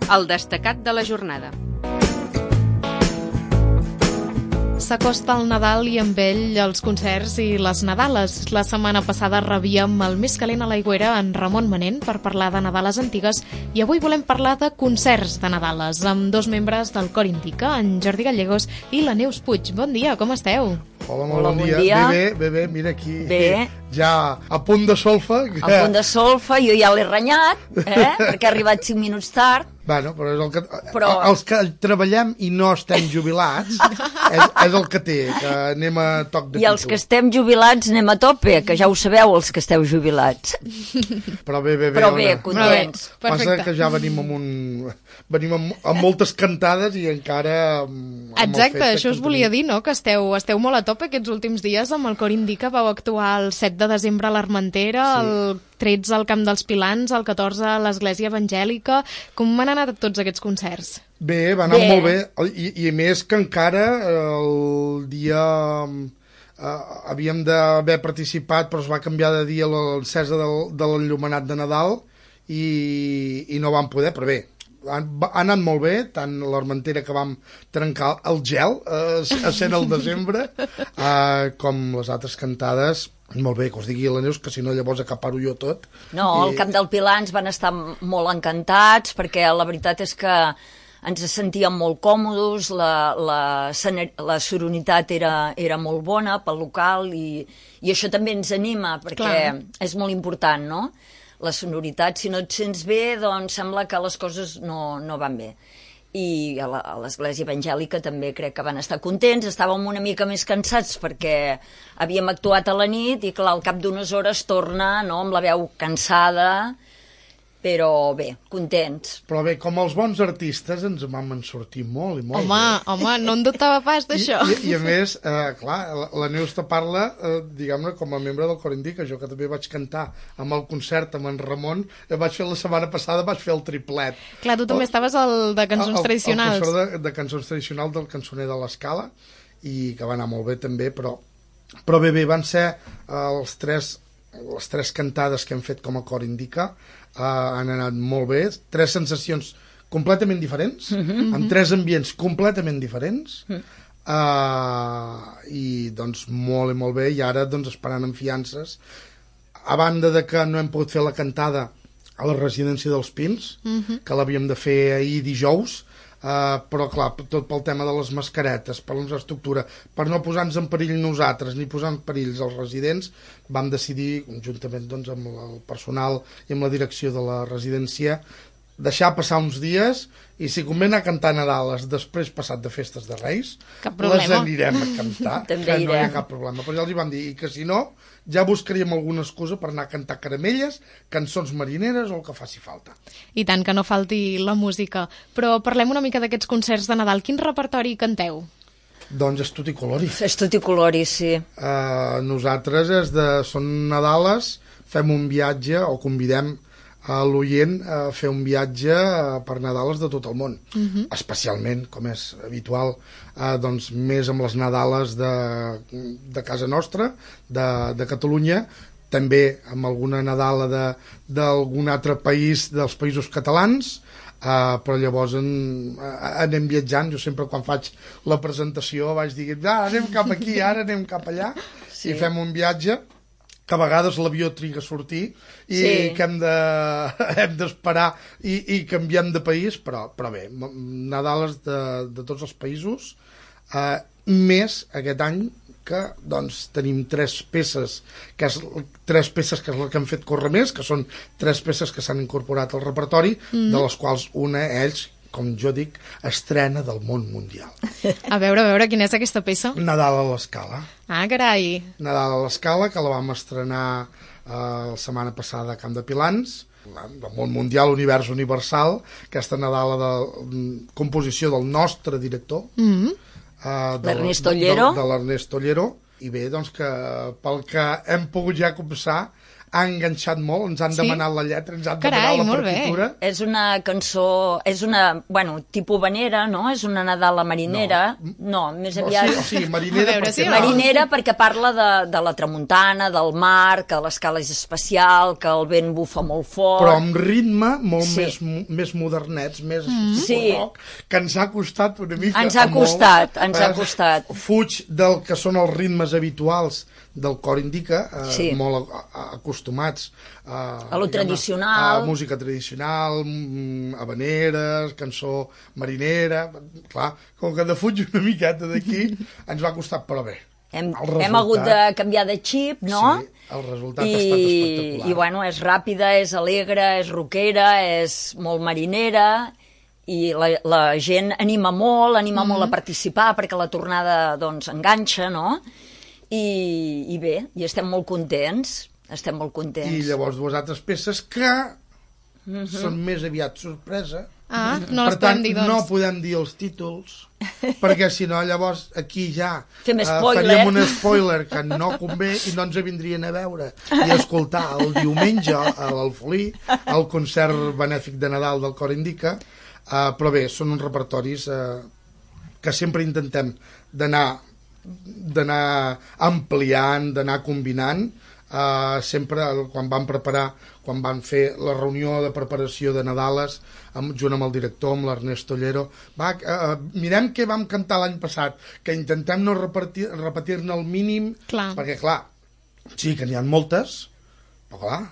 El destacat de la jornada. S'acosta el Nadal i amb ell els concerts i les Nadales. La setmana passada rebíem el més calent a l'aigüera en Ramon Manent per parlar de Nadales antigues i avui volem parlar de concerts de Nadales amb dos membres del Cor Indica, en Jordi Gallegos i la Neus Puig. Bon dia, com esteu? Hola, bon dia. Bé, mira aquí. Bé. Ja a punt de solfa. A punt de solfa, jo ja l'he renyat, perquè ha arribat 5 minuts tard. Bueno, però és el que... Els que treballem i no estem jubilats és el que té, que anem a toc de pico. I els que estem jubilats anem a tope, que ja ho sabeu, els que esteu jubilats. Però bé, contents. Passa que ja venim amb moltes cantades i encara... Exacte, això us volia dir, no?, que esteu molt a tope aquests últims dies amb el Cor Indica. Vau actuar el 7 de desembre a l'Armentera, el 13 al Camp dels Pilans, el 14 a l'Església Evangèlica. Com han anat tots aquests concerts? Bé, va anar molt bé. I més que encara el dia... havíem d'haver participat, però es va canviar de dia l'encesa de l'enllumenat de Nadal i no vam poder, però bé, ha anat molt bé, tant l'Armentera, que vam trencar el gel a sent el desembre, com les altres cantades. Molt bé, que us digui la Neus, que si no llavors acaparo jo tot. No, al Camp del Pilans van estar molt encantats, perquè la veritat és que ens sentíem molt còmodes, la sororitat era molt bona pel local i això també ens anima, perquè és molt important, no?, la sonoritat. Si no et sents bé, doncs sembla que les coses no van bé. I a l'Església Evangèlica també crec que van estar contents. Estàvem una mica més cansats perquè havíem actuat a la nit i, clar, al cap d'unes hores torna, no?, amb la veu cansada, però bé, contents. Però bé, com els bons artistes ens vam sortir molt i molt bé. Home, no en dubtava pas d'això. I a més, clar, la Neus te parla, diguem-ne, com a membre del Cor Indica, jo que també vaig cantar amb el concert amb en Ramon, vaig fer la setmana passada, vaig fer el triplet. Clar, tu també estaves al de cançons tradicionals. El professor de cançons tradicionals del Cançoner de l'Escala, i que va anar molt bé també, però bé, van ser les tres cantades que hem fet com a Cor Indica. Han anat molt bé, 3 sensacions completament diferents, amb 3 ambients completament diferents, i doncs molt i molt bé, i ara doncs esperant amb fiances, a banda de que no hem pogut fer la cantada a la residència dels Pins, que l'havíem de fer ahir dijous, però clar, tot pel tema de les mascaretes, per l'infraestructura, per no posar-nos en perill nosaltres ni posar en perill els residents, vam decidir, conjuntament doncs, amb el personal i amb la direcció de la residència, deixar passar uns dies i si convé anar a cantar Nadales després passat de festes de Reis, les anirem a cantar, que no hi ha cap problema. Però ja els hi vam dir que si no, ja buscaríem alguna excusa per anar a cantar caramelles, cançons marineres o el que faci falta. I tant, que no falti la música. Però parlem una mica d'aquests concerts de Nadal. Quin repertori canteu? Doncs és tutti colori. És tutti colori, sí. Nosaltres són Nadales, fem un viatge o convidem a l'oient a fer un viatge per Nadales de tot el món, especialment, com és habitual, doncs més amb les Nadales de casa nostra, de Catalunya, també amb alguna Nadala d'algun altre país, dels països catalans, però llavors anem viatjant. Jo sempre quan faig la presentació vaig dir, anem cap aquí, ara anem cap allà, i fem un viatge que a vegades l'avió triga a sortir i que hem d'esperar i canviem de país, però bé, Nadales de tots els països, més aquest any que doncs tenim 3 peces, que és la que hem fet córrer més, que són 3 peces que s'han incorporat al repertori, de les quals una, ells, com jo dic, estrena del món mundial. A veure, quina és aquesta peça? Nadal a l'Escala. Ah, carai! Nadal a l'Escala, que la vam estrenar la setmana passada a Camp de Pilans, del món mundial, univers universal, aquesta Nadala de composició del nostre director, l'Ernest Ollero. De l'Ernest Ollero, i bé, doncs que pel que hem pogut ja començar, ha enganxat molt, ens han demanat la lletra, ens han Carai, demanat la molt bé. partitura. És una cançó, és una, bueno, tipus vanera, no? És una Nadala marinera. No, més aviat... Sí, marinera, A veure, sí, perquè no? Marinera perquè parla de la tramuntana, del mar, que l'escala és especial, que el vent bufa molt fort... però amb ritme molt Sí. més modernets, més Sí. rock, que ens ha costat una mica. Ens ha molt. costat, ens ha costat. Fuig del que són els ritmes habituals del cor indica, Sí. molt acostumats A lo tradicional. a música tradicional, habaneres, cançó marinera, clar, com que de fuig una miqueta d'aquí ens va costar, però bé. Hem El hagut de resultat- canviar de xip, no? Sí, el resultat ha estat espectacular. I bueno, és ràpida, és alegre, és rockera, és molt marinera, i la gent anima molt a participar perquè la tornada doncs enganxa, no? I bé, i estem molt contents, I llavors dues altres peces que són més aviat sorpresa. Ah, no les Per tant, podem dir, doncs. no podem dir els títols, perquè si no llavors aquí ja Fem spoiler. faríem un spoiler que no convé i no ens vindrien a veure i a escoltar el diumenge a l'Alfolí el concert benèfic de Nadal del Cor Indica, però bé, són uns repertoris que sempre intentem d'anar ampliant, d'anar combinant. Sempre quan van fer la reunió de preparació de Nadales junt amb el director, amb l'Ernest Tollero, mirem què vam cantar l'any passat, que intentem no repetir-ne el mínim, perquè clar, sí que n'hi ha moltes, però clar,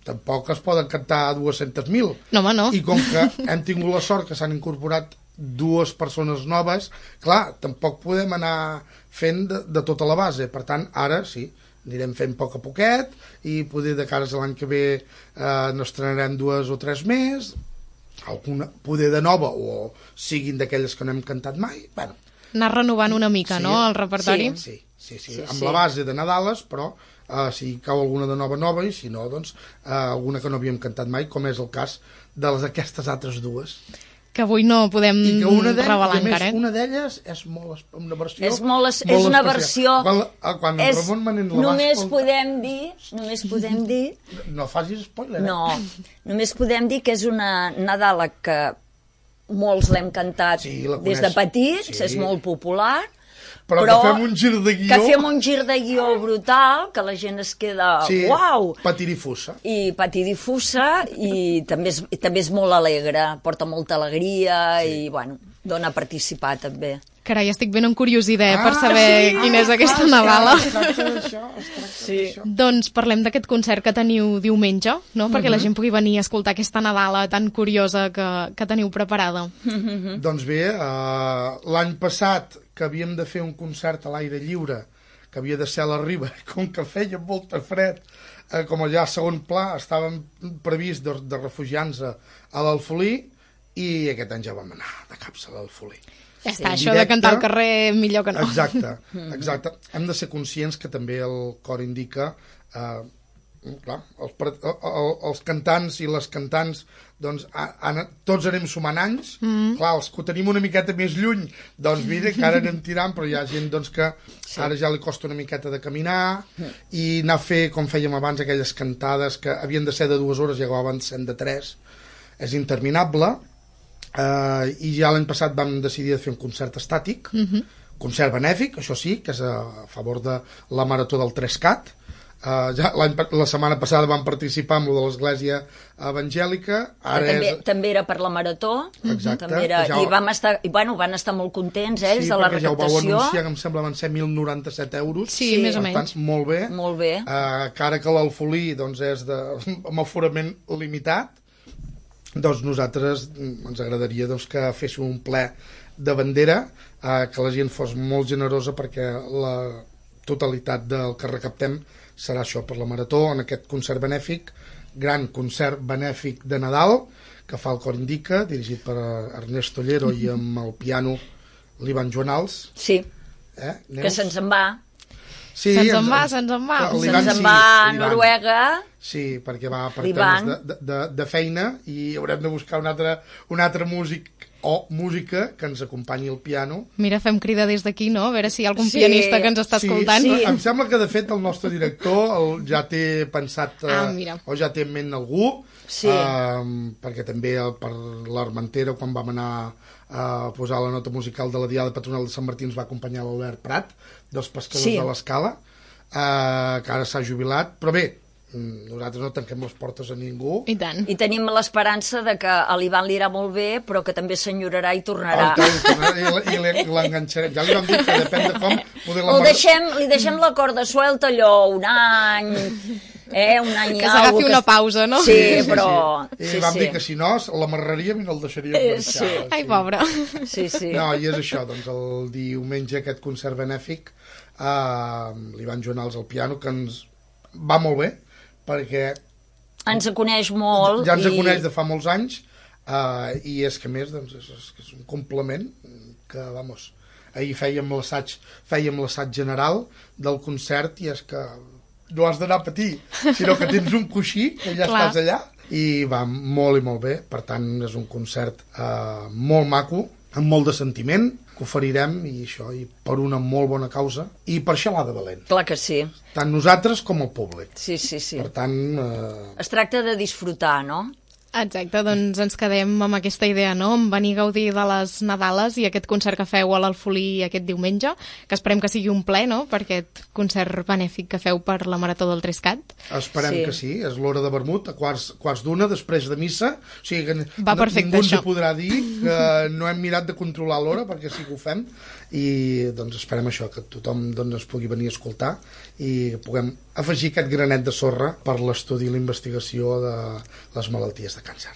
tampoc es poden cantar 200.000. No, home, no. I com que hem tingut la sort que s'han incorporat dues persones noves, clar, tampoc podem anar fent de tota la base. Per tant, ara sí, anirem fent a poquet i poder de cares a l'any que ve n'estrenarem 2 o 3 més, alguna poder de nova o siguin d'aquelles que no hem cantat mai. Bueno, anar renovant una mica, sí, no?, el repertori. Sí, amb la base de Nadales, però si cau alguna de nova i si no, doncs alguna que no havíem cantat mai, com és el cas d'aquestes altres dues. Que avui no podem revelar encara. Una d'elles és una versió... És una versió... Quan el Ramon Manent la va només escoltar... podem dir... No facis spoiler, No, només podem dir que és una Nadala que molts l'hem cantat des de petits, és molt popular, però que fem un gir de guió... Que fem un gir de guió brutal, que la gent es queda... Uau! Patidifusa. I també és molt alegre, porta molta alegria i, bueno, dona a participar també. Carai, estic ben encuriosida per saber quina és aquesta Nadala. Doncs parlem d'aquest concert que teniu diumenge, no? Perquè la gent pugui venir a escoltar aquesta Nadala tan curiosa que teniu preparada. Doncs bé, l'any passat que havíem de fer un concert a l'aire lliure, que havia de ser a la Riba, com que feia molt fred, com allà a segon pla estàvem previst de refugiar-nos a l'Alfolí, i aquest any ja vam anar de caps a l'Alfolí. Ja està, això de cantar al carrer millor que no. Exacte. Hem de ser conscients que també el cor indica... clar, els cantants i les cantants doncs tots anem sumant anys, clar, els que ho tenim una miqueta més lluny, doncs mira que ara anem tirant, però hi ha gent doncs, que ara ja li costa una miqueta de caminar i anar a fer, com fèiem abans, aquelles cantades que havien de ser de 2 hores i acabaven sent de 3, és interminable. I ja l'any passat vam decidir de fer un concert estàtic, concert benèfic, això sí, que és a favor de la Marató del 3CAT. La setmana passada vam participar amb lo de l'Església Evangèlica. També era per la Marató. Exacte. I van estar molt contents ells de la recaptació. Sí, perquè ja ho vau anunciar, que em sembla van ser 1.097 euros. Sí, més o menys. Per tant, molt bé. Molt bé. Que ara que l'Alfolí doncs, és amb aforament limitat, doncs nosaltres ens agradaria doncs, que féssim un ple de bandera, que la gent fos molt generosa perquè la totalitat del que recaptem serà això per la Marató, en aquest concert benèfic, gran concert benèfic de Nadal, que fa el Cor Indica, dirigit per Ernest Tollero i amb el piano l'Ivan Joanals. Sí, que se'ns en va. Sí, se'ns en va. Se'ns en va a Noruega. Sí, perquè va per temes de feina i haurem de buscar un altre músic o música que ens acompanyi al piano. Mira, fem crida des d'aquí, no? A veure si hi ha algun pianista que ens està escoltant. Sí. Em sembla que, de fet, el nostre director ja té pensat o ja té en ment algú, perquè també per l'Armentera, quan vam anar a posar la nota musical de la Diada Patronal de Sant Martí, ens va acompanyar l'Albert Prat, dels pescadors de l'Escala, que ara s'ha jubilat, però bé, nosaltres no tanquem les portes a ningú. I tant. I tenim l'esperança de que a l'Ivan li irà molt bé, però que també s'enyorarà i tornarà. I l'enganxarem. Ja li vam dir que depèn de com... Li deixem la corda suelta allò un any... un any que s'agafi una pausa, no? Sí, però... I vam dir que si no, l'amarraríem i no el deixaríem marxar. Ai, pobre. Sí. No, i és això, doncs el diumenge aquest concert benèfic l'Ivan Joanals al piano, que ens va molt bé, perquè... Ens coneix molt. Ja ens coneix de fa molts anys, i és que més, doncs, és un complement que, vamos, ahir fèiem l'assaig general del concert i és que no has d'anar a patir, sinó que tens un coixí, que ja estàs allà, i va molt i molt bé. Per tant, és un concert molt maco, amb molt de sentiment, que oferirem, i això, i per una molt bona causa, i per xalada valent. Clar que sí. Tant nosaltres com el públic. Sí. Per tant... Es tracta de disfrutar, no? Exacte, doncs ens quedem amb aquesta idea, no? En venir a gaudir de les Nadales i aquest concert que feu a l'Alfolí aquest diumenge, que esperem que sigui un ple, no?, per aquest concert benèfic que feu per la Marató del Trescat. Esperem que sí, és l'hora de vermut, a quarts d'una, després de missa, o sigui que ningú ens podrà dir que no hem mirat de controlar l'hora, perquè sí que ho fem, i doncs esperem això, que tothom es pugui venir a escoltar i puguem afegir aquest granet de sorra per l'estudi i la investigació de les malalties de càncer.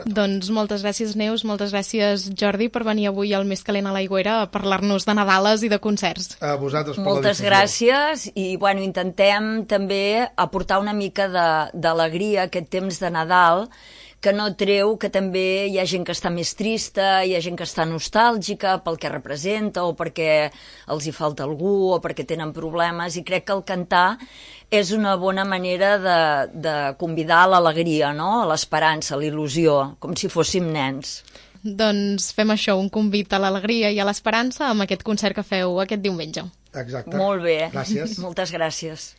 Doncs moltes gràcies, Neus, moltes gràcies, Jordi, per venir avui al Més Calent a l'Aigüera a parlar-nos de Nadales i de concerts. A vosaltres per moltes gràcies, i bueno, intentem també aportar una mica d'alegria a aquest temps de Nadal, que no treu que també hi ha gent que està més trista, hi ha gent que està nostàlgica pel que representa o perquè els hi falta algú o perquè tenen problemes, i crec que el cantar és una bona manera de convidar a l'alegria, no?, a l'esperança, a l'il·lusió, com si fóssim nens. Doncs fem això, un convit a l'alegria i a l'esperança amb aquest concert que feu aquest diumenge. Exacte. Molt bé. Gràcies. Moltes gràcies.